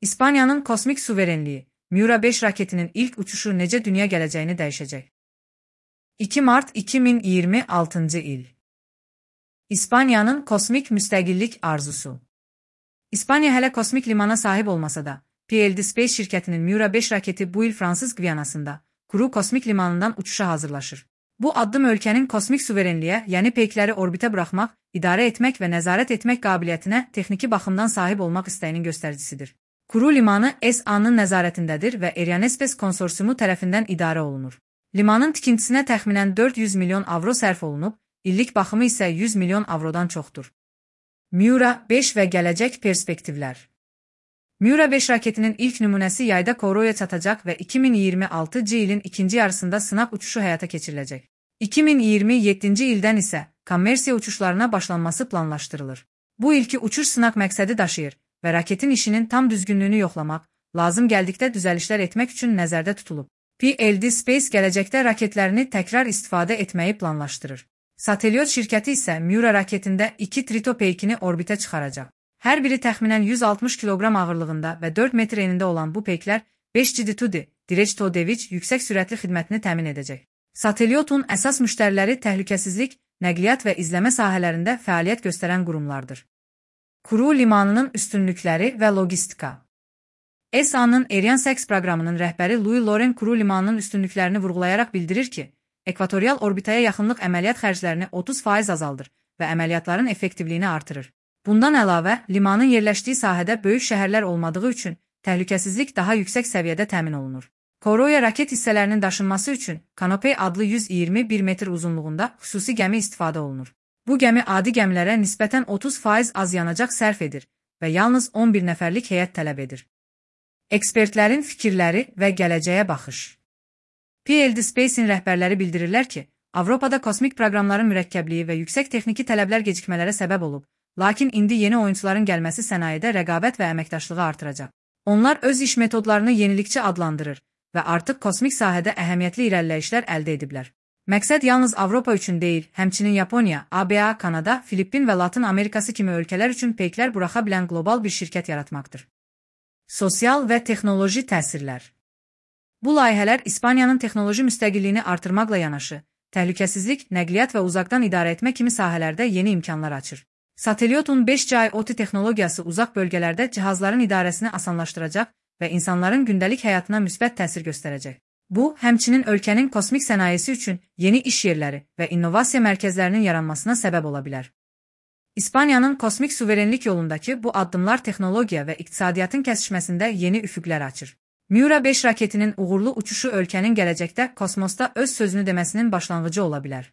İspanya'nın kosmik suverenliği, Miura 5 raketinin ilk uçuşu necə dünya gələcəyini dəyişəcək. 2 Mart 2026 il. İspanya'nın kosmik müstəqillik arzusu. İspanya hələ kosmik limana sahib olmasa da, PLD Space şirkətinin Miura 5 raketi bu il Fransız Gviyanasında, Kourou kosmik limanından uçuşa hazırlaşır. Bu addım ölkənin kosmik suverenliyə, yəni peykləri orbitə buraxmaq, idarə etmək və nəzarət etmək qabiliyyətinə texniki baxımdan sahib olmaq istəyinin göstəricisidir. Kourou limanı SA-nın nəzarətindədir və Arianespace konsorsiumu tərəfindən idarə olunur. Limanın tikintisinə təxminən 400 milyon avro sərf olunub, illik baxımı isə 100 milyon avrodan çoxdur. Miura 5 və gələcək perspektivlər. Miura 5 raketinin ilk nümunəsi yayda Kourouya çatacaq və 2026 ilin ikinci yarısında sınaq uçuşu həyata keçiriləcək. 2027 ildən isə kommersiya uçuşlarına başlanması planlaşdırılır. Bu ilki uçuş sınaq məqsədi daşıyır və raketin işinin tam düzgünlüyünü yoxlamaq, lazım gəldikdə düzəlişlər etmək üçün nəzərdə tutulub. PLD Space gələcəkdə raketlərini təkrar istifadə etməyi planlaşdırır. Satelliot şirkəti isə Miura raketində 2 Trito peykini orbitə çıxaracaq. Hər biri təxminən 160 kiloqram ağırlığında və 4 metr enində olan bu peyklər 5G Direct to Device yüksək sürətli xidmətini təmin edəcək. Satelliotun əsas müştəriləri təhlükəsizlik, nəqliyyat və izləmə sahələrində fəaliyyət göstərən qurumlardır. Kourou limanının üstünlükləri və logistika. SA-nın Arianespace proqramının rəhbəri Louis Laurent Kourou limanının üstünlüklərini vurğulayaraq bildirir ki, ekvatorial orbitaya yaxınlıq əməliyyat xərclərini 30% azaldır və əməliyyatların effektivliyini artırır. Bundan əlavə, limanın yerləşdiyi sahədə böyük şəhərlər olmadığı üçün təhlükəsizlik daha yüksək səviyyədə təmin olunur. Kourouya raket hissələrinin daşınması üçün Canopy adlı 121 metr uzunluğunda xüsusi gəmi istifadə olunur. Bu gəmi adi gəmilərə nisbətən 30% az yanacaq sərf edir və yalnız 11 nəfərlik heyət tələb edir. Ekspertlərin fikirləri və gələcəyə baxış. PLD Space'in rəhbərləri bildirirlər ki, Avropada kosmik proqramların mürəkkəbliyi və yüksək texniki tələblər gecikmələrə səbəb olub, lakin indi yeni oyunçuların gəlməsi sənayedə rəqabət və əməkdaşlığı artıracaq. Onlar öz iş metodlarını yenilikçi adlandırır və artıq kosmik sahədə əhəmiyyətli irəliləyişlər əldə ediblər. Məqsəd yalnız Avropa üçün deyil, həmçinin Yaponiya, ABA, Kanada, Filippin və Latın Amerikası kimi ölkələr üçün peyklər buraxa bilən qlobal bir şirkət yaratmaqdır. Sosial və texnoloji təsirlər. Bu layihələr İspaniyanın texnoloji müstəqilliyini artırmaqla yanaşı, təhlükəsizlik, nəqliyyat və uzaqdan idarə etmə kimi sahələrdə yeni imkanlar açır. Satelliotun 5G IoT texnologiyası uzaq bölgələrdə cihazların idarəsini asanlaşdıracaq və insanların gündəlik həyatına müsbət təsir göstərəcək. Bu, həmçinin ölkənin kosmik sənayesi üçün yeni iş yerləri və innovasiya mərkəzlərinin yaranmasına səbəb ola bilər. İspaniyanın kosmik suverenlik yolundakı bu addımlar texnologiya və iqtisadiyyatın kəsişməsində yeni üfüqlər açır. Miura 5 raketinin uğurlu uçuşu ölkənin gələcəkdə kosmosda öz sözünü deməsinin başlanğıcı ola bilər.